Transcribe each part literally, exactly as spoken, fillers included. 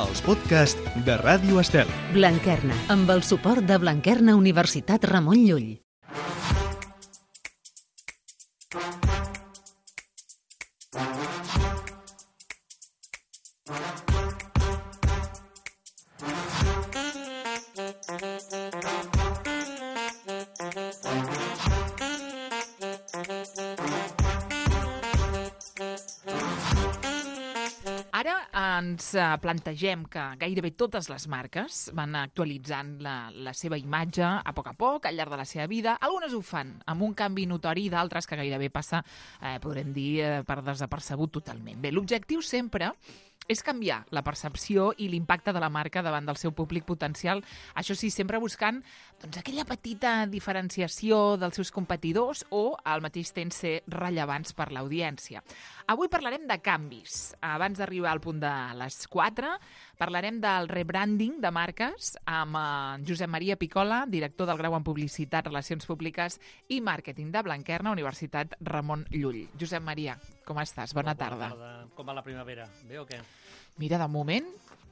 els podcasts de Ràdio Estel. Blanquerna, amb el suport de Blanquerna Universitat Ramon Llull. Ara ens plantegem que gairebé totes les marques van actualitzant la, la seva imatge a poc a poc, al llarg de la seva vida. Algunes ho fan amb un canvi notori i d'altres que gairebé passa, eh, podrem dir, eh, per desapercebut totalment. Bé, l'objectiu sempre és canviar la percepció i l'impacte de la marca davant del seu públic potencial. Això sí, sempre buscant doncs, aquella petita diferenciació dels seus competidors o, al mateix temps, ser rellevants per l'audiència. Avui parlarem de canvis. Abans d'arribar al punt de les quatre, parlarem del rebranding de marques amb eh, Josep Maria Picola, director del grau en Publicitat, Relacions Públiques i Màrqueting de Blanquerna, Universitat Ramon Llull. Josep Maria, com estàs? Bona, Bona tarda. tarda. Com va la primavera? Bé o què? Mira, de moment,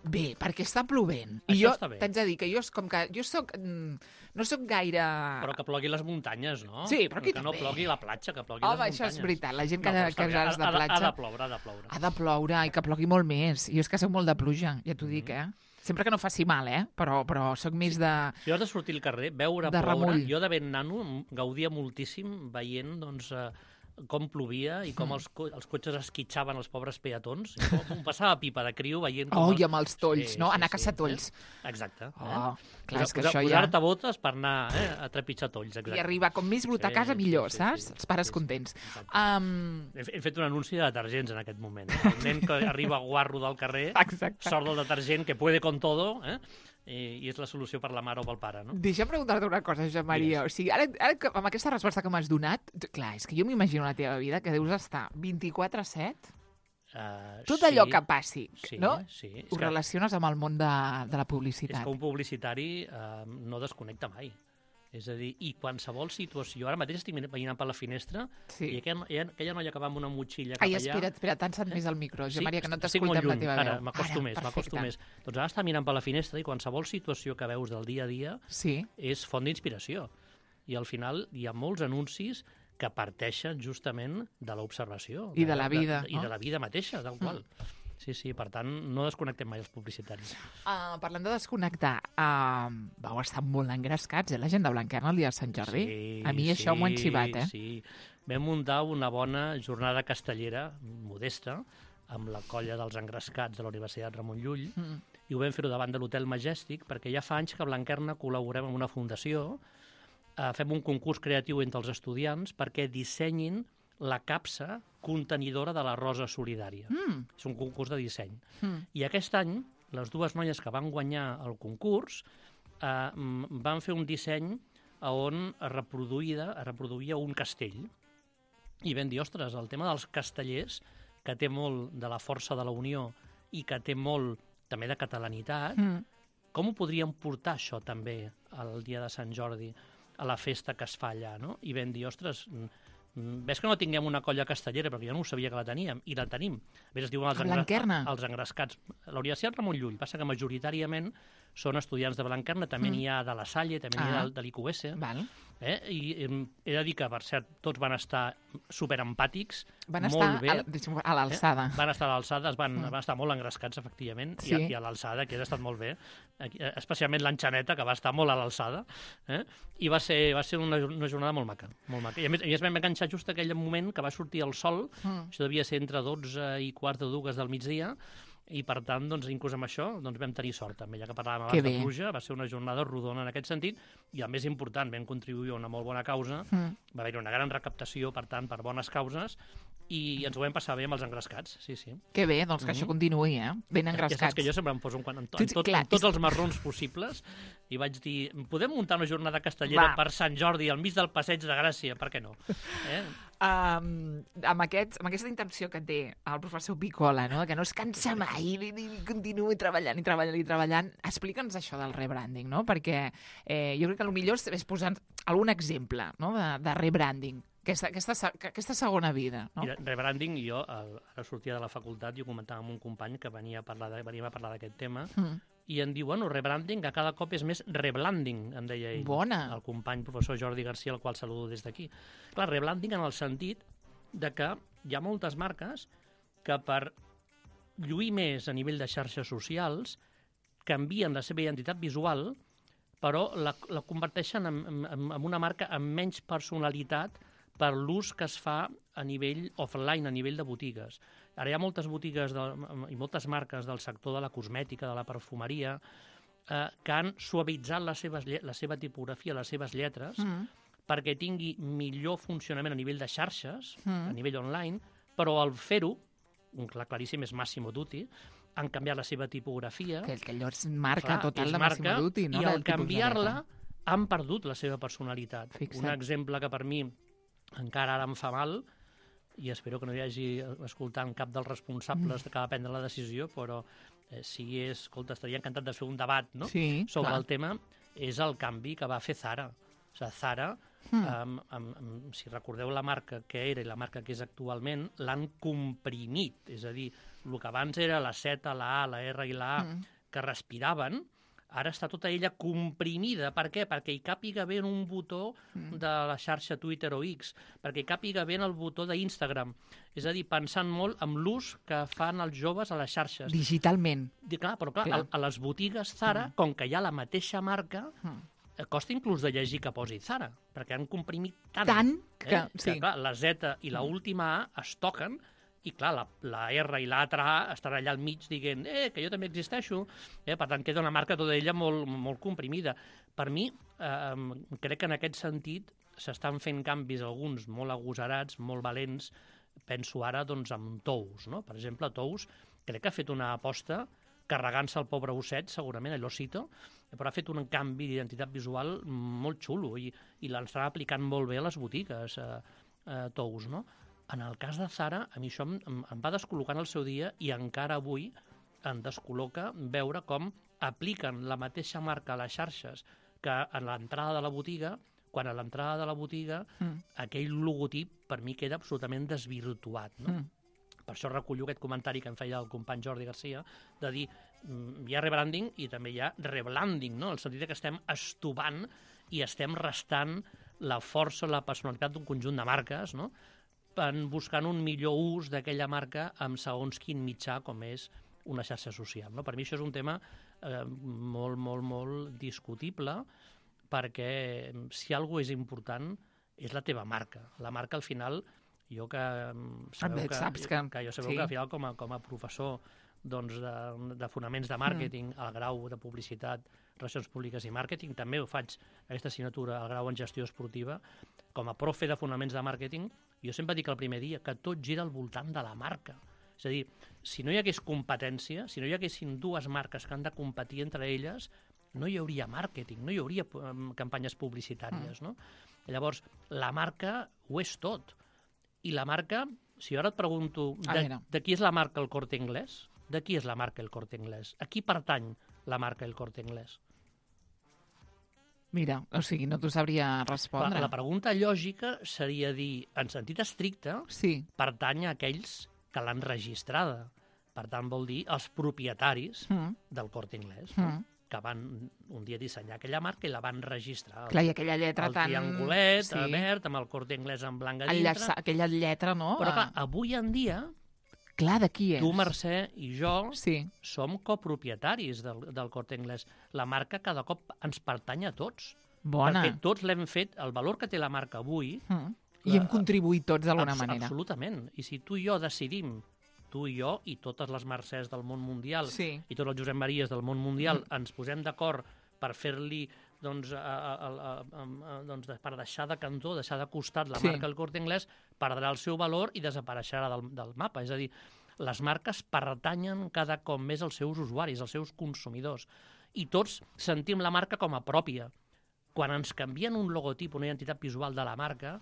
bé, perquè està plovent. I Això jo està bé. t'haig de dir que jo és com que jo soc, mm, no soc gaire... Però que plogui les muntanyes, no? Sí, però aquí que no també. plogui la platja, que plogui Home, les això muntanyes. és veritat. La gent que, No, però que està bé. ja és de Ha- ha- platja... Ha de ploure, ha de ploure. Ha de ploure i que plogui molt més. Jo és que soc molt de pluja, ja t'ho dic, eh? Sempre que no faci mal, eh? Però, però soc més de... Si has de sortir al carrer, veure De ploure... remull. Jo de ben nano gaudia moltíssim veient, doncs, eh, com plovia i com els, co els cotxes esquitxaven els pobres peatons. I com, com passava pipa de criu veient... Com Oh, el- i amb els tolls, Sí, no? sí, Anar a caçar sí, tolls. Eh? Exacte. Oh, eh? clar, és que Posar- això ja... Posar-te botes per anar eh, a trepitjar tolls, exacte. I arribar com més brut a Sí, casa, sí, millor, sí, saps? sí. Els pares Sí, sí. contents. Exacte. Um... He he fet un anunci de detergents en aquest moment. El nen que arriba guarro del carrer, Exacte. sort del detergent, que puede con todo, eh? I, i és la solució per la mare o pel pare, no? Deixa'm preguntar-te una cosa, Josep Maria. O sigui, ara, ara que- amb aquesta resposta que m'has donat, t- clar, és que jo m'imagino la teva vida que deus estar vint-i-quatre set, Uh, tot sí, allò que passi, sí, no? Sí, és Ho que, relaciones amb el món de, de la és publicitat. que un publicitari uh, no desconnecta mai. És a dir, i qualsevol situació... Ara mateix estic veient per la finestra Sí. i aquella, aquella noia que va amb una motxilla cap Ai, allà... espera't, espera't, t'han més al micro, Josep Maria, que no estic molt t'escoltem la lluny. teva Ara, veu. m'acosto més, m'acosto perfecte. més. Doncs ara està mirant per la finestra i qualsevol situació que veus del dia a dia Sí, és font d'inspiració. I al final hi ha molts anuncis que parteixen justament de l'observació. I de la vida, De, de, I no? de la vida mateixa, tal qual. Sí, sí, per tant, no desconnectem mai els publicitaris. uh, parlant de desconnectar, uh, vau estar molt engrescats, eh, la gent de Blanquerna el dia de Sant Jordi? A mi això m'ho han xivat, eh? Sí, vam muntar una bona jornada castellera, modesta, amb la colla dels engrescats de la Universitat Ramon Llull, Mm. i ho vam fer-ho davant de l'Hotel Majestic, perquè ja fa anys que a Blanquerna col·laborem amb una fundació, eh, fem un concurs creatiu entre els estudiants perquè dissenyin la capsa contenidora de la Rosa Solidària. Mm. És un concurs de disseny. Mm. I aquest any, les dues noies que van guanyar el concurs eh, mm, van fer un disseny on es reproduïa, es reproduïa un castell. I vam dir, ostres, el tema dels castellers, que té molt de la força de la unió i que té molt també de catalanitat, Mm. com ho podríem portar això també al dia de Sant Jordi, a la festa que es fa allà, no? I vam dir, ostres, mm, mm, ves que no tinguem una colla castellera, perquè jo no ho sabia que la teníem, i la tenim. A més, es diuen els, A engra- Blanquerna? els engrescats. La Universitat Ramon Llull, passa que majoritàriament són estudiants de Blanquerna, també n'hi ha de la Salle, també n'hi ha Ah. de, de l'I Q S, Val. eh? I em, he de dir que, per cert, tots van estar superempàtics, Van molt estar bé. a, la- deixa'm- a l'alçada. Van estar a l'alçada, es van, Mm. van estar molt engrescats, efectivament, Sí. i, a, i a l'alçada, que ha estat molt bé, Aquí, eh, especialment l'enxaneta, que va estar molt a l'alçada, eh? I va ser, va ser una, una jornada molt maca, molt maca. I a més, a més vam enganxar just aquell moment que va sortir el sol, Mm. això devia ser entre dotze i quart de dues del migdia, i per tant, doncs, inclús amb això, doncs, vam tenir sort també, ja que parlàvem Que abans de bé. pluja, va ser una jornada rodona en aquest sentit, i el més important, vam contribuir a una molt bona causa, Mm. va haver-hi una gran recaptació, per tant, per bones causes, i ens ho vam passar bé amb els engrescats, sí, sí. Que bé, doncs que això continuï, eh? Ben Ja saps engrescats. que jo sempre em poso en, quan, en, to, Tu- en, tot, clar, en tots és- els marrons possibles, i vaig dir, podem muntar una jornada castellera Va. per Sant Jordi al mig del Passeig de Gràcia, per què no? Eh? Um, amb, aquest, amb aquesta intenció que té el professor Picola, no? que no es cansa mai i, i continuï treballant i treballant i treballant, explica'ns això del rebranding, no? Perquè eh, jo crec que el millor és posar algun exemple, no? de, de rebranding. Aquesta, aquesta, aquesta segona vida, no? Mira, rebranding, jo el, ara sortia de la facultat i ho comentava amb un company que venia a parlar de, venia a parlar d'aquest tema, mm. i em diu, bueno, rebranding, que cada cop és més reblanding, em deia ell. Bona. El company professor Jordi Garcia, el qual saludo des d'aquí. Clar, rebranding en el sentit de que hi ha moltes marques que per lluir més a nivell de xarxes socials canvien la seva identitat visual, però la, la converteixen en, en, en una marca amb menys personalitat per l'ús que es fa a nivell offline, a nivell de botigues. Ara hi ha moltes botigues de, i moltes marques del sector de la cosmètica, de la perfumeria, eh, que han suavitzat les seves, la seva tipografia, les seves lletres, mm. perquè tingui millor funcionament a nivell de xarxes, mm. a nivell online, però al fer-ho, un clar claríssim és Massimo Dutti, han canviat la seva tipografia. Que, que allò és marca clar, total és de marca, Massimo Dutti, no? I al canviar-la han perdut la seva personalitat. Fixa't. Un exemple que per mi encara ara em fa mal, i espero que no hi hagi escoltant cap dels responsables mm. que va prendre la decisió, però eh, si és, escolta, estaria encantat de fer un debat, no? Sí, sobre clar. el tema, és el canvi que va fer Zara. O sigui, Zara, mm. um, um, um, si recordeu la marca que era i la marca que és actualment, l'han comprimit. És a dir, el que abans era la Z, la A, la R i la A, mm. que respiraven, ara està tota ella comprimida. Per què? Perquè hi càpiga bé en un botó mm. de la xarxa Twitter o X, perquè hi càpiga bé en el botó d'Instagram. És a dir, pensant molt en l'ús que fan els joves a les xarxes. Digitalment. I, clar, però clar, clar. A, a les botigues Zara, mm. com que hi ha la mateixa marca, mm. costa inclús de llegir que posi Zara, perquè han comprimit tant. Tant que, eh? sí. que clar, la Z i la última A es toquen, i clar, la, la R i l'altra A estan allà al mig dient eh, que jo també existeixo, eh, per tant queda una marca tota ella molt, molt comprimida. Per mi, eh, crec que en aquest sentit s'estan fent canvis alguns molt agosarats, molt valents, penso ara doncs, en Tous, no? Per exemple, Tous crec que ha fet una aposta carregant-se el pobre osset, segurament, allò cito, però ha fet un canvi d'identitat visual molt xulo i, i l'estan aplicant molt bé a les botigues, eh, eh, Tous, no? En el cas de Zara, a mi això em, em va descol·locar en el seu dia i encara avui em descol·loca veure com apliquen la mateixa marca a les xarxes que a l'entrada de la botiga, quan a l'entrada de la botiga mm. aquell logotip per mi queda absolutament desvirtuat. No? Mm. Per això recullo aquest comentari que em feia el company Jordi Garcia, de dir, hi ha rebranding i també hi ha reblanding, no? En el sentit que estem estovant i estem restant la força, la personalitat d'un conjunt de marques, no? En buscant un millor ús d'aquella marca amb segons quin mitjà com és una xarxa social. No? Per mi això és un tema eh, molt, molt, molt discutible, perquè si alguna és important és la teva marca. La marca, al final, jo que sabeu que, saps que, que, jo sabeu sí. que al final com a, com a professor doncs, de, de fonaments de màrqueting, mm. al grau de publicitat, relacions públiques i màrqueting, també ho faig aquesta assignatura al grau en gestió esportiva, com a profe de fonaments de màrqueting, jo sempre dic el primer dia que tot gira al voltant de la marca. És a dir, si no hi hagués competència, si no hi haguessin dues marques que han de competir entre elles, no hi hauria màrqueting, no hi hauria um, campanyes publicitàries. Mm. No? Llavors, la marca ho és tot. I la marca, si jo ara et pregunto, de, de qui és la marca El Corte Inglés? De qui és la marca El Corte Inglés? A qui pertany la marca El Corte Inglés? Mira, o sigui, no t'ho sabria respondre. La, la pregunta lògica seria dir, en sentit estricte, sí. pertany a aquells que l'han registrada. Per tant, vol dir els propietaris mm. del Corte Inglés, mm. no? que van un dia dissenyar aquella marca i la van registrar. Clar, i aquella lletra el tan... El triangulet, sí. verd, amb el Corte Inglés en blanc a dintre. Llaça, aquella lletra, no? Però clar, avui en dia... Clar, de qui és? Tu, Mercè, i jo sí. som copropietaris del, del Corte Inglés. La marca cada cop ens pertany a tots. Bona. Perquè tots l'hem fet, el valor que té la marca avui... Mm. I la, hem contribuït tots d'alguna manera. Absolutament. I si tu i jo decidim, tu i jo i totes les Mercès del món mundial sí. i tots els Josep Maries del món mundial mm. ens posem d'acord per fer-li... Doncs, a, a, a, a, a, doncs per deixar de cantó, deixar de costat la sí. marca El Corte Inglés, perdrà el seu valor i desapareixerà del, del mapa. És a dir, les marques pertanyen cada cop més als seus usuaris, als seus consumidors. I tots sentim la marca com a pròpia. Quan ens canvien un logotip, una identitat visual de la marca,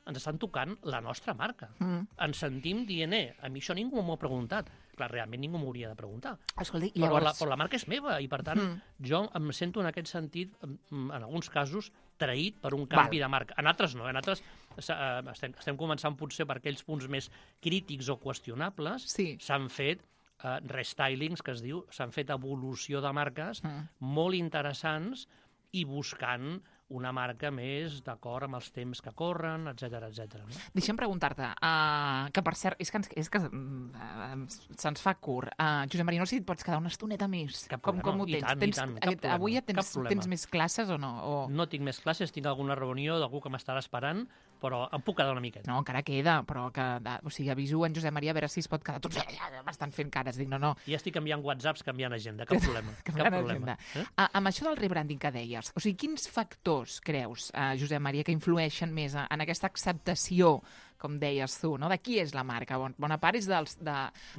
ens estan tocant la nostra marca. Mm. Ens sentim dient, eh, a mi això ningú m'ho ha preguntat. Clar, realment ningú m'hauria de preguntar. Escolta, i Però, llavors... la, però la marca és meva i, per tant, Mm. jo em sento en aquest sentit, en, en alguns casos, traït per un canvi Val. de marca. En altres no, en altres eh, estem, estem començant potser per aquells punts més crítics o qüestionables, Sí. s'han fet eh, restylings, que es diu, s'han fet evolució de marques Mm. molt interessants i buscant una marca més d'acord amb els temps que corren, etcètera, etcètera. No? Deixa'm preguntar-te, uh, que per cert, és que, ens, és que uh, se'ns fa curt. Uh, Josep Maria, no sé si et pots quedar una estoneta més. Cap com, problema. com ho I tens? tant, i tens tant, cap aquest, problema, avui ja cap tens, problema. tens més classes o no? O... No tinc més classes, tinc alguna reunió d'algú que m'estarà esperant, però em puc quedar una miqueta. No, encara queda, però que, o sigui, aviso en Josep Maria a veure si es pot quedar. Tots m'estan fent cares, dic, no, no. Ja estic enviant whatsapps, canviant agenda, cap problema. Que cap gran problema. agenda. Eh? Ah, amb això del rebranding que deies, o sigui, quins factors creus, eh, Josep Maria, que influeixen més en aquesta acceptació, com deies tu, no? De qui és la marca? Bon, bona part és dels, de,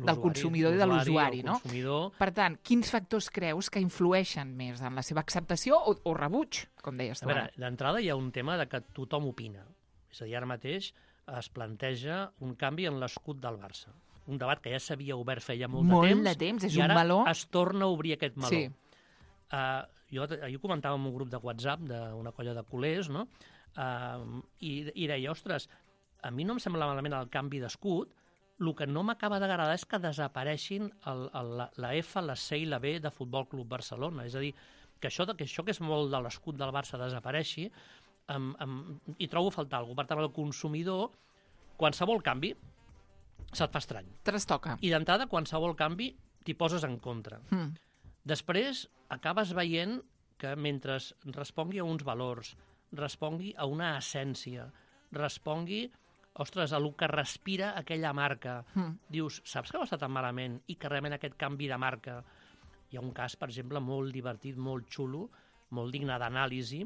del consumidor i de l'usuari, no? Consumidor... Per tant, quins factors creus que influeixen més en la seva acceptació o, o rebuig, com deies tu A veure, ara? d'entrada hi ha un tema de que tothom opina. És a dir, ara mateix es planteja un canvi en l'escut del Barça. Un debat que ja s'havia obert feia molt, Molt de temps. de temps, és i un ara meló. es torna a obrir aquest meló. Sí. Uh, jo, ahir comentava en un grup de WhatsApp d'una colla de culers, no? Uh, i, i deia, ostres, a mi no em sembla malament el canvi d'escut, el que no m'acaba d'agradar és que desapareixin el, el, la, la F, la C i la B de Futbol Club Barcelona. És a dir, que això, que això que és molt de l'escut del Barça desapareixi, um, um, hi trobo a faltar alguna cosa. Per tant, el consumidor, qualsevol canvi, se't fa estrany. Trastoca. I d'entrada, qualsevol canvi t'hi poses en contra. Mm. Després, acabes veient que mentre respongui a uns valors, respongui a una essència, respongui, ostres, a el que respira aquella marca, Mm. dius, saps que no està tan malament i que realment aquest canvi de marca... Hi ha un cas, per exemple, molt divertit, molt xulo, molt digne d'anàlisi,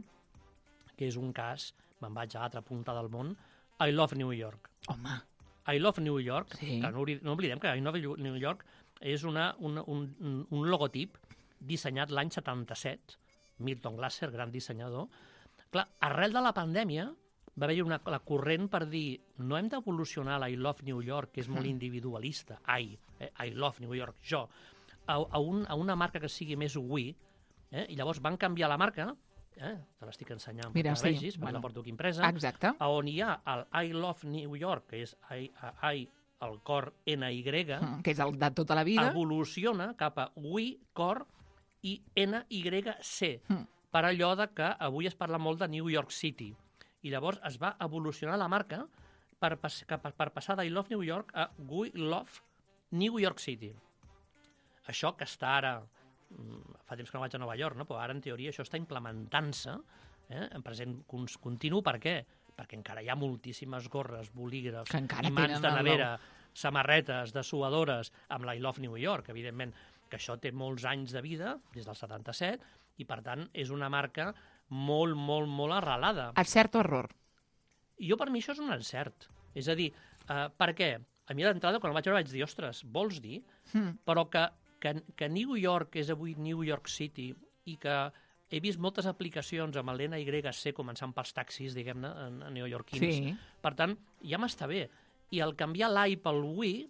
que és un cas, me'n vaig a l'altra punta del món, I Love New York. Home, I Love New York, Sí. que no, obri- no oblidem que I Love New York és una, una, un, un- un logotip dissenyat l'any setanta-set, Milton Glasser, gran dissenyador. Clar, arrel de la pandèmia va haver-hi una, la corrent per dir no hem d'evolucionar l'I Love New York, que és molt individualista, I, eh, I Love New York, jo, a, a, un, a una marca que sigui més we, eh? I llavors van canviar la marca, eh? Te l'estic ensenyant Mira, perquè la sí, vegis, perquè bueno. la porto aquí impresa, exacte. a on hi ha el I Love New York, que és I, I el cor N Y, Mm, que és el de tota la vida. evoluciona cap a We, cor, i N Y C, Mm. per allò de que avui es parla molt de New York City. I llavors es va evolucionar la marca per, pas, cap, per passar d'I Love New York a We Love New York City. Això que està ara, mm, fa temps que no vaig a Nova York, no? Però ara en teoria això està implementant-se eh? en present cons- continu. Per què? Perquè encara hi ha moltíssimes gorres, bolígrafs, Que encara imants tenen de el nevera, samarretes, dessuadores, amb l'I Love New York, evidentment, que això té molts anys de vida, des del setanta-set, i per tant és una marca molt, molt, molt arrelada. Encert o error? I jo per mi això és un encert. És a dir, eh, per què? A mi d'entrada, quan el vaig veure, vaig dir, ostres, vols dir? Mm. Però que, que, que New York és avui New York City i que he vist moltes aplicacions amb l'N Y C començant pels taxis, diguem-ne, en, en neoyorquins. Sí. Per tant, ja m'està bé. I el canviar l'I pel We,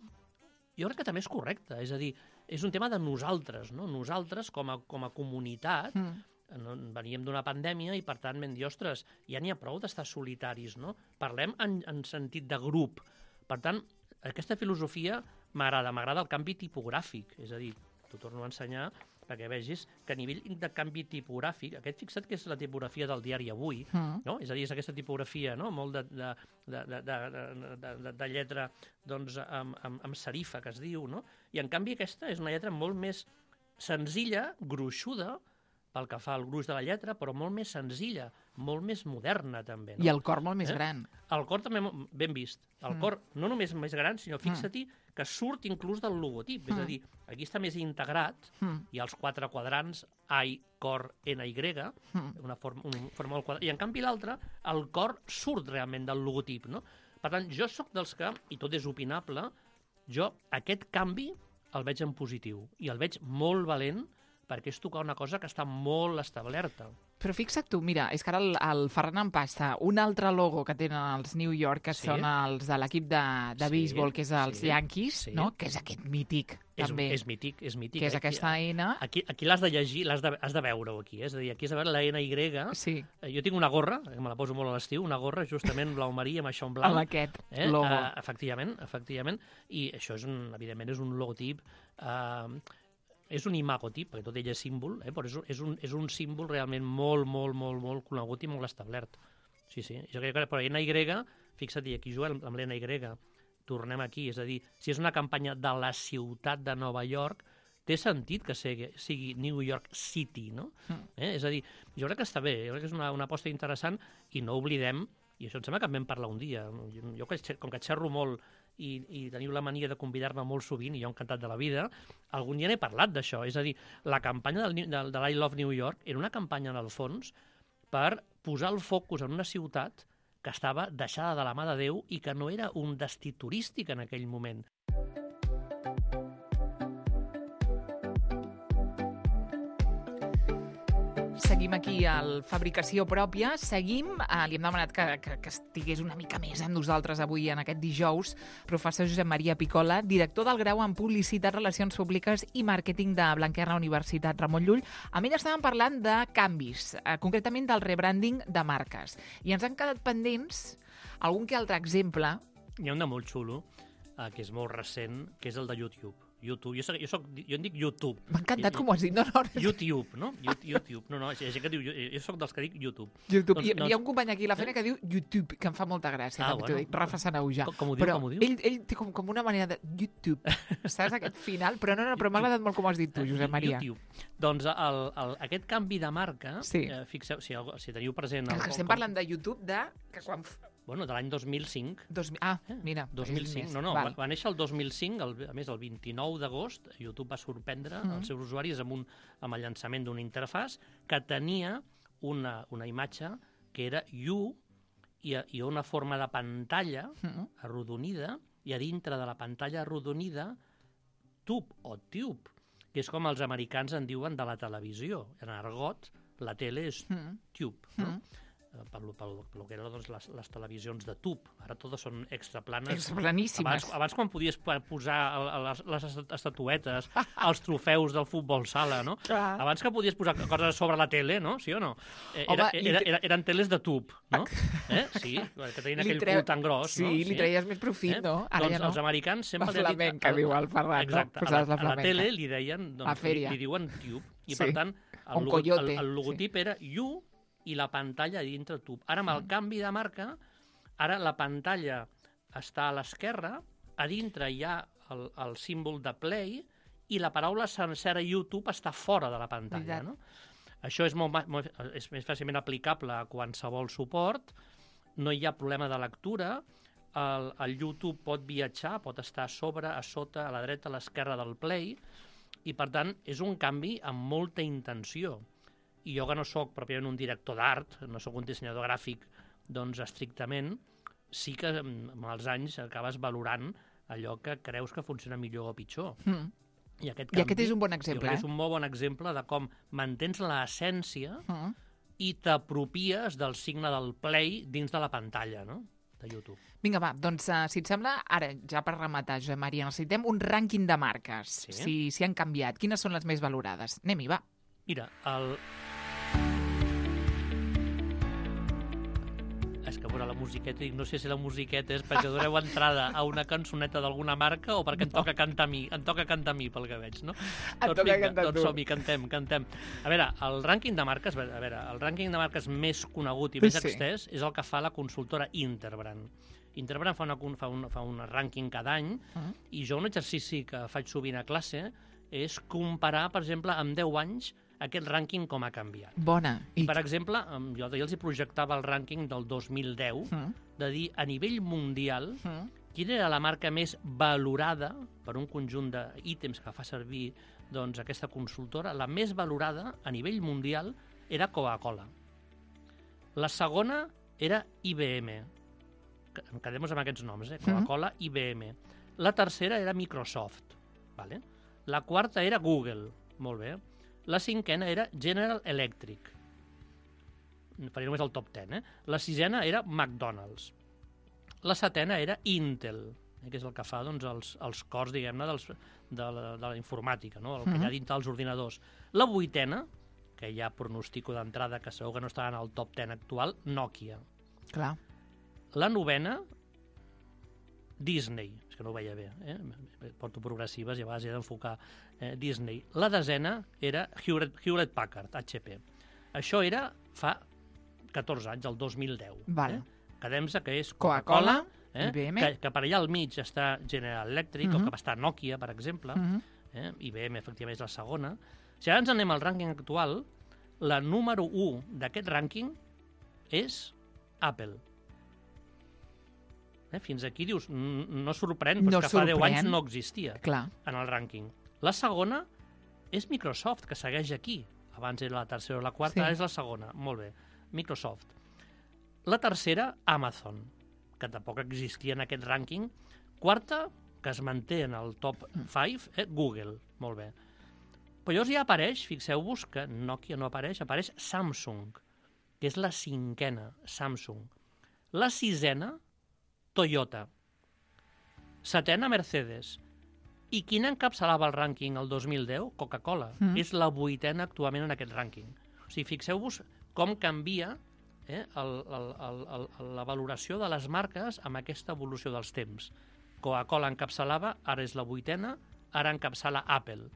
jo crec que també és correcte. És a dir, és un tema de nosaltres, no? Nosaltres, com a, com a comunitat, Mm. no, veníem d'una pandèmia i, per tant, vam dir, ostres, ja n'hi ha prou d'estar solitaris, no? Parlem en, en sentit de grup. Per tant, aquesta filosofia m'agrada, m'agrada el canvi tipogràfic. És a dir, t'ho torno a ensenyar perquè vegis que a nivell de canvi tipogràfic, aquest fixa't que és la tipografia del diari Avui, Mm. no? És a dir, és aquesta tipografia, no? Molt de, de, de, de, de, de, de, de lletra doncs, amb, amb, amb serifa, que es diu, no? I, en canvi, aquesta és una lletra molt més senzilla, gruixuda, pel que fa al gruix de la lletra, però molt més senzilla, molt més moderna, també. No? I el cor molt més Eh? gran. El cor també, ben vist. El Mm. cor no només més gran, sinó fixa-t'hi que surt inclús del logotip. És a dir, aquí està més integrat, Mm. hi ha els quatre quadrants, I, cor, N, Y, Mm. una forma, una forma molt quadrada. I, en canvi, l'altre, el cor surt realment del logotip, no? Per tant, jo sóc dels que, i tot és opinable, jo aquest canvi el veig en positiu i el veig molt valent perquè és tocar una cosa que està molt establerta. Però fixa't tu, mira, és que ara el, el Ferran em passa un altre logo que tenen els New York, que Sí. són els de l'equip de, de Sí, béisbol, que és els sí, Yankees, sí. no? Que és aquest mític, És, també, és mític, és mític. que és Aquí- aquesta N. Aquí, aquí l'has de llegir, l'has de, has de veure-ho aquí. Eh? És a dir, aquí has de veure la N Y. Sí, Eh, Jo tinc una gorra, que me la poso molt a l'estiu, una gorra justament blau marí amb això en blanc. amb aquest Eh? logo. Uh, efectivament, efectivament. I això, és un, evidentment, és un logotip... Uh, és un imagotip, perquè tot ell és símbol, eh? però és un, és, un, és un símbol realment molt, molt, molt, molt conegut i molt establert. Sí, sí. Jo crec que, però N Y, fixa't, aquí Joel, amb l'N Y, tornem aquí, és a dir, si és una campanya de la ciutat de Nova York, té sentit que sigui, sigui New York City, no? Mm. Eh? És a dir, jo crec que està bé, jo crec que és una, una aposta interessant i no oblidem, i això em sembla que en vam parlar un dia, jo, jo que- com que xerro molt i, i teniu la mania de convidar-me molt sovint, i jo encantat de la vida, algun dia n'he parlat d'això, és a dir, la campanya del, del, de l'I Love New York era una campanya, en el fons, per posar el focus en una ciutat que estava deixada de la mà de Déu i que no era un destí turístic en aquell moment. Seguim aquí al Fabricació Pròpia, seguim, eh, li hem demanat que, que, que estigués una mica més amb nosaltres avui en aquest dijous, professor Josep Maria Picola, director del grau en Publicitat, Relacions Públiques i Màrqueting de Blanquerna Universitat Ramon Llull. Amb ell estàvem parlant de canvis, eh, concretament del rebranding de marques. I ens han quedat pendents algun que altre exemple. Hi ha un de molt xulo, eh, que és molt recent, que és el de YouTube. YouTube. Jo, soc, jo, soc, jo en dic YouTube. M'ha encantat com ho has dit. No, no, no. YouTube, no? YouTube. No, no, hi ha gent que diu... Jo soc dels que dic YouTube. YouTube. Doncs- Hi, doncs- hi ha un company aquí a la feina que diu YouTube, que em fa molta gràcia. Ah, també t'ho bueno. dic, Rafa Sanaujà. Com- com ho diu, però com ho diu? Ell, ell té com, com una manera de YouTube, saps, aquest final? Però no, no, però m'ha agradat molt com ho has dit tu, Josep Maria. YouTube. Doncs el, el, aquest canvi de marca, Sí. eh, fixeu, si, algú- si teniu present... Que, el- que estem com- parlant de YouTube de... Que quan... f- Bueno, de l'any dos mil cinc. Dos, mi- ah, mira. dos mil cinc, és no, no, més. va, va néixer el dos mil cinc, el, a més el vint-i-nou d'agost, YouTube va sorprendre Mhm. els seus usuaris amb, un, amb el llançament d'una interfàs que tenia una, una imatge que era U i, i una forma de pantalla Mhm. arrodonida, i a dintre de la pantalla arrodonida tub o tube, que és com els americans en diuen de la televisió. En argot, la tele és Mhm. tube, no? Mhm. Eh, pel, pel, pel que eren doncs, les, les televisions de tub. Ara totes són extraplanes. Extraplaníssimes. Abans, abans quan podies pa- posar el- el- les, les estatuetes, els trofeus del futbol sala, no? Clar. Abans que podies posar coses sobre la tele, no? Sí o no? Eh, Home, Era, li era, tre- era, eren teles de tub, no? Eh? Sí, que tenien Li aquell treu- cul tan gros, sí, no? li treies més profit, no? Ara doncs ja no. els americans sempre... La li han dit- flamenca, diu el Ferran, no? Exacte, a la, Posaves la a la flamenca. tele li deien... Doncs, La fèria. Li, li diuen tube. I Sí. per tant, Un el, logo, coyote, el, el logotip era U i la pantalla dintre tub. Ara, amb el canvi de marca, ara la pantalla està a l'esquerra, a dintre hi ha el, el símbol de play i la paraula sencera YouTube està fora de la pantalla. Veritat. No? Això és, molt, ma- molt, és més fàcilment aplicable a qualsevol suport, no hi ha problema de lectura, el, el YouTube pot viatjar, pot estar a sobre, a sota, a la dreta, a l'esquerra del play, i per tant és un canvi amb molta intenció. I jo que no sóc pròpiament un director d'art, no sóc un dissenyador gràfic, doncs estrictament, sí que mm, amb els anys acabes valorant allò que creus que funciona millor o pitjor. Mm. I aquest, I aquest és un bon jo exemple, crec que eh? és un molt bon exemple de com mantens l'essència Mm. i t'apropies del signe del play dins de la pantalla, no?, de YouTube. Vinga, va, doncs, uh, si et sembla, ara, ja per rematar, Josep Maria, necessitem un rànquing de marques, Sí. si, si han canviat. Quines són les més valorades? Anem-hi, va. Mira, el... És que, a veure, la musiqueta, dic, no sé si la musiqueta és perquè doneu entrada a una cançoneta d'alguna marca o perquè em toca cantar a mi, em toca cantar a mi, pel que veig, no? Et Doncs toca vinga, cantar doncs tu. som-hi, cantem, cantem. A veure, el rànquing de marques, a veure, el rànquing de marques més conegut i més Sí. extès és el que fa la consultora Interbrand. Interbrand fa, una, fa, un, fa un rànquing cada any Mm. i jo un exercici que faig sovint a classe és comparar, per exemple, amb deu anys aquest rànquing com ha canviat. Bona. I, per exemple, em- jo ja els hi projectava el rànquing del dos mil deu, Mm. de dir, a nivell mundial, Mm. quina era la marca més valorada per un conjunt d'ítems que fa servir doncs, aquesta consultora. La més valorada a nivell mundial era Coca-Cola. La segona era I B M. Que- Quedem-nos amb aquests noms, eh? Coca-Cola, I B M. La tercera era Microsoft. Vale? La quarta era Google. Molt bé. La cinquena era General Electric. Faria només el top deu, eh? La sisena era McDonald's. La setena era Intel, eh? que és el que fa doncs, els, els cors, diguem-ne, dels, de, la, de la informàtica, no? El que hi ha dintre dels ordinadors. La vuitena, que ja pronostico d'entrada que segur que no estarà en el top deu actual, Nokia. Clar. La novena, Disney. És que no ho veia bé, eh? Porto progressives i a vegades he d'enfocar eh, Disney. La desena era Hewlett, Hewlett Packard, H P. Això era fa catorze anys, el dos mil deu. Val. Eh? Quedem-se que és Coca-Cola, eh? I B M. que, que per allà al mig està General Electric, Uh-huh. o que va estar Nokia, per exemple. Mhm. Eh? I B M, efectivament, és la segona. Si ara ens anem al rànquing actual, la número u d'aquest rànquing és Apple. Eh? Fins aquí dius, n- no sorprèn, però No és que fa deu sorprèn. anys no existia Clar. en el rànquing. La segona és Microsoft, que segueix aquí. Abans era la tercera o la quarta, Sí. ara és la segona. Molt bé, Microsoft. La tercera, Amazon, que tampoc existia en aquest rànquing. Quarta, que es manté en el top cinc, eh? Google. Molt bé. Però llavors ja apareix, fixeu-vos que Nokia no apareix, apareix Samsung, que és la cinquena, Samsung. La sisena, Toyota. Setena, Mercedes. I quina encapçalava el rànquing el dos mil deu? Coca-Cola. Mm. És la vuitena actualment en aquest rànquing. O sigui, fixeu-vos com canvia eh, el, el, el, el, la valoració de les marques amb aquesta evolució dels temps. Coca-Cola encapçalava, ara és la vuitena, ara encapçala Apple.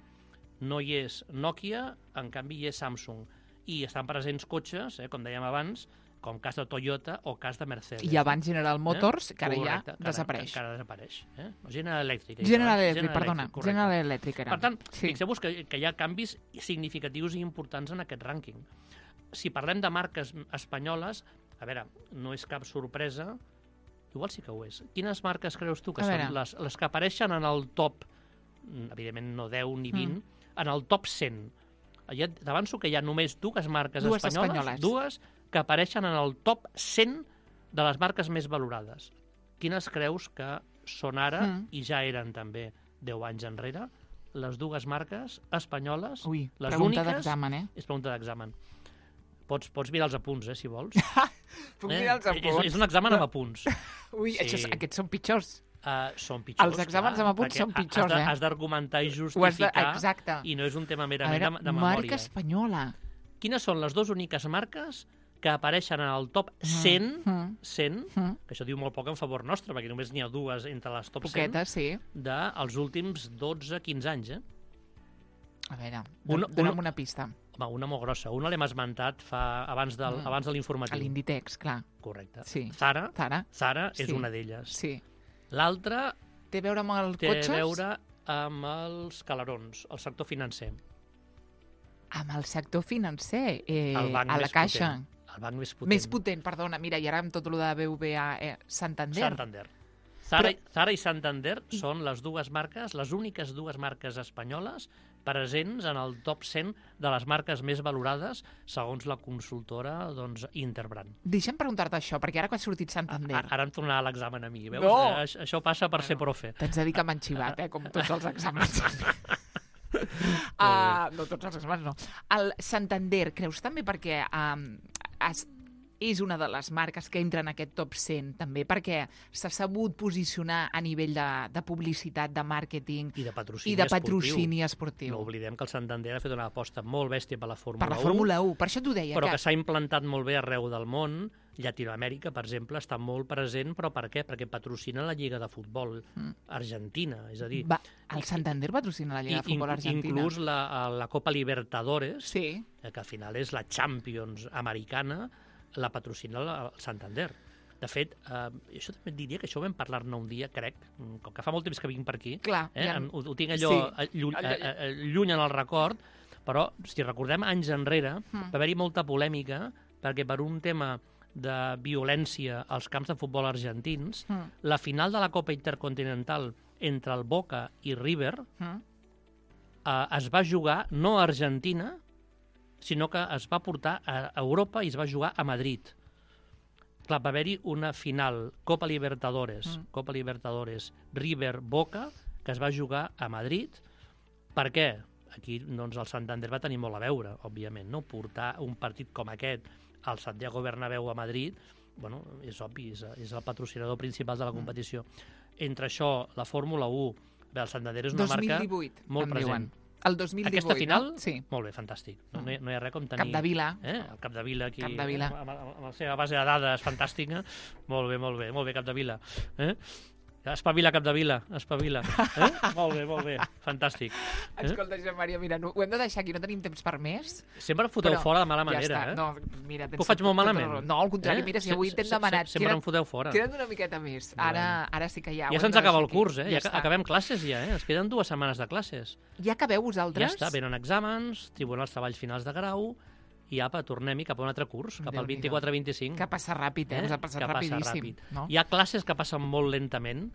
No hi és Nokia, en canvi hi és Samsung. I estan presents cotxes, eh, com dèiem abans, com cas de Toyota o cas de Mercedes. I abans General Motors, que ara Correcte, ja que ara- desapareix. Que ara desapareix. Eh? General Electric. he dit General abans. Electric, perdona. correcte. General Electric era. Per tant, sí. fixeu-vos que, que hi ha canvis significatius i importants en aquest rànquing. Si parlem de marques espanyoles, a veure, no és cap sorpresa, igual sí que ho és. Quines marques creus tu que A són veure. les, les que apareixen en el top, evidentment no deu ni vint, Mm. en el top cent? Ja t'avanço que hi ha només dues marques Dues espanyoles, espanyoles. dues que apareixen en el top cent de les marques més valorades. Quines creus que són ara, Mm. i ja eren també deu anys enrere, les dues marques espanyoles, Ui, les pregunta úniques... d'examen, eh? És pregunta d'examen. Pots, pots mirar els apunts, eh, si vols. Puc Eh? mirar els És, apunts? és un examen amb apunts. Ui, Sí. això, és- aquests són pitjors. Uh, són pitjors, Els exàmens clar, amb apunts perquè són pitjors, has de, eh? Has d'argumentar i Ho has de... justificar, Exacte. i no és un tema A merament veure, de, de marca memòria. espanyola. Quines són les dues úniques marques que apareixen en el top cent, Mm. cent, Mm. que això diu molt poc en favor nostre, perquè només n'hi ha dues entre les top cent, Poquetes, sí. dels últims dotze quinze anys, eh? A veure, Una- don- dona'm una- una pista. Home, una molt grossa. Una l'hem esmentat fa, abans, del, Mm. abans de A l'informatiu. l'Inditex, clar. Correcte. Sí. Zara, Zara, Zara és Sí. una d'elles. sí. L'altra Té a veure amb els té cotxes? a veure amb els calarons, el sector financer. Amb el sector financer, eh, El banc a la més Caixa. potent. El banc més potent. Més potent, perdona. Mira, i ara amb tot el de B V A, eh, Santander. Santander. Zara, Però- Zara i Santander són les dues marques, les úniques dues marques espanyoles presents en el top cent de les marques més valorades segons la consultora doncs, Interbrand. Deixa'm preguntar-te això, perquè ara que ha sortit A, Santander... a- ara em tornarà l'examen a mi, veus? No! Eh, Això, això passa per ser profe. T'haig de dir que m'han xivat, eh, com tots els exàmens. uh, no, tots els exàmens no. El Santander, creus també perquè um, es, és una de les marques que entra en aquest top cent, també perquè s'ha sabut posicionar a nivell de, de publicitat, de màrqueting I de patrocini i de esportiu. patrocini esportiu. No oblidem que el Santander ha fet una aposta molt bèstia per la Fórmula Per la u, Fórmula u, per això t'ho deia. però que... que s'ha implantat molt bé arreu del món. Llatinoamèrica, per exemple, està molt present, però per què? Perquè patrocina la Lliga de Futbol Mm. Argentina, és a dir... Va, el Santander patrocina la Lliga de Futbol in- Argentina. Inclús la, la Copa Libertadores, Sí. eh, que al final és la Champions americana, la patrocina la- el Santander. De fet, eh, això també et diria que això ho vam parlar-ne un dia, crec, com que fa molt temps que vinc per aquí, Clar, eh, ja- em- ho, ho tinc allò Sí. sí. lluny, Allò- eh, eh, lluny en el record, però si recordem anys enrere, Mm. va haver-hi molta polèmica perquè per un tema de violència als camps de futbol argentins, Mm. la final de la Copa Intercontinental entre el Boca i River Mm. eh, es va jugar no a Argentina, sinó que es va portar a Europa i es va jugar a Madrid. Clar, va haver-hi una final Copa Libertadores, Mm. Copa Libertadores River-Boca, que es va jugar a Madrid. Per què? aquí doncs, el Santander va tenir molt a veure, òbviament, no? Portar un partit com aquest al Santiago Bernabéu a Madrid, bueno, és obvi, és, és el patrocinador principal de la competició. Entre això, la Fórmula u, bé, el Santander és una dos mil marca divuit, molt em present. diuen. El dos mil divuit, Aquesta final, no? Sí. Molt bé, fantàstic. No, no, hi, no hi ha res com tenir... Capdevila. Eh? El Capdevila aquí, Capdevila. amb, amb, amb la seva base de dades fantàstica. Molt bé, molt bé, molt bé, Capdevila. Eh? Espavila, Capdevila, espavila. Eh? Molt bé, molt bé, fantàstic. Eh? Escolta, Josep Maria, mira, no, ho hem de deixar aquí, no tenim temps per més. Sempre em foteu però fora de mala manera, ja està. eh? No, mira, tens Ho faig molt tota la malament. raó. No, al contrari, Eh? mira, si Se- avui t'hem se- demanat... se- sempre em foteu fora. Queda't una miqueta més. Ara, ara sí que ja... ho Ja hem se'ns de acaba el deixar aquí. curs, eh? Ja, està. acabem classes ja, eh? Ens queden dues setmanes de classes. Ja acabeu vosaltres? Ja està, venen exàmens, tribunals treballs finals de grau, i apa, tornem-hi cap a un altre curs, cap al Déu-n'hi-do. vint-i-quatre vint-i-cinc. Que passa ràpid, eh? Us ha passat Que passa rapidíssim. ràpid. No? Hi ha classes que passen molt lentament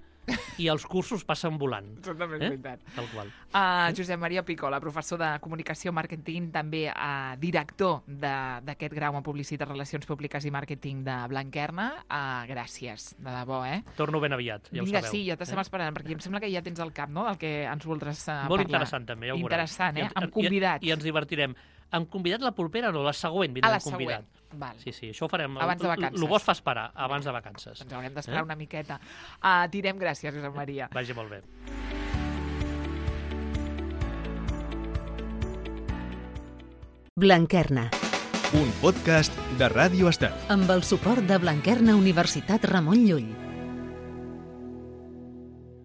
i els cursos passen volant. Això també és Eh? veritat. Tal qual. Uh, Josep Maria Picola, professor de Comunicació Màrqueting, també uh, director de- d'aquest grau en Publicitat, Relacions Públiques i Màrqueting de Blanquerna. Uh, gràcies, de debò, eh? Torno ben aviat, ja ho Vinga, sabeu. sí, ja t'estem eh? esperant, perquè em sembla que ja tens al cap, no?, del que ens voldràs uh, parlar. Molt interessant, també, ja ho veureu. Interessant, eh? I ens- Amb convidats. I, I ens divertirem. Amb convidat la propera, no, la següent A vindrà la amb convidat. següent. Val. Sí, sí, això ho farem. Abans de vacances. El bo es fa esperar, abans de vacances. Ens haurem d'esperar Eh? una miqueta. Uh, direm gràcies, Josep Maria. Vagi molt bé. Blanquerna, Un podcast de Ràdio Estel. amb el suport de Blanquerna Universitat Ramon Llull.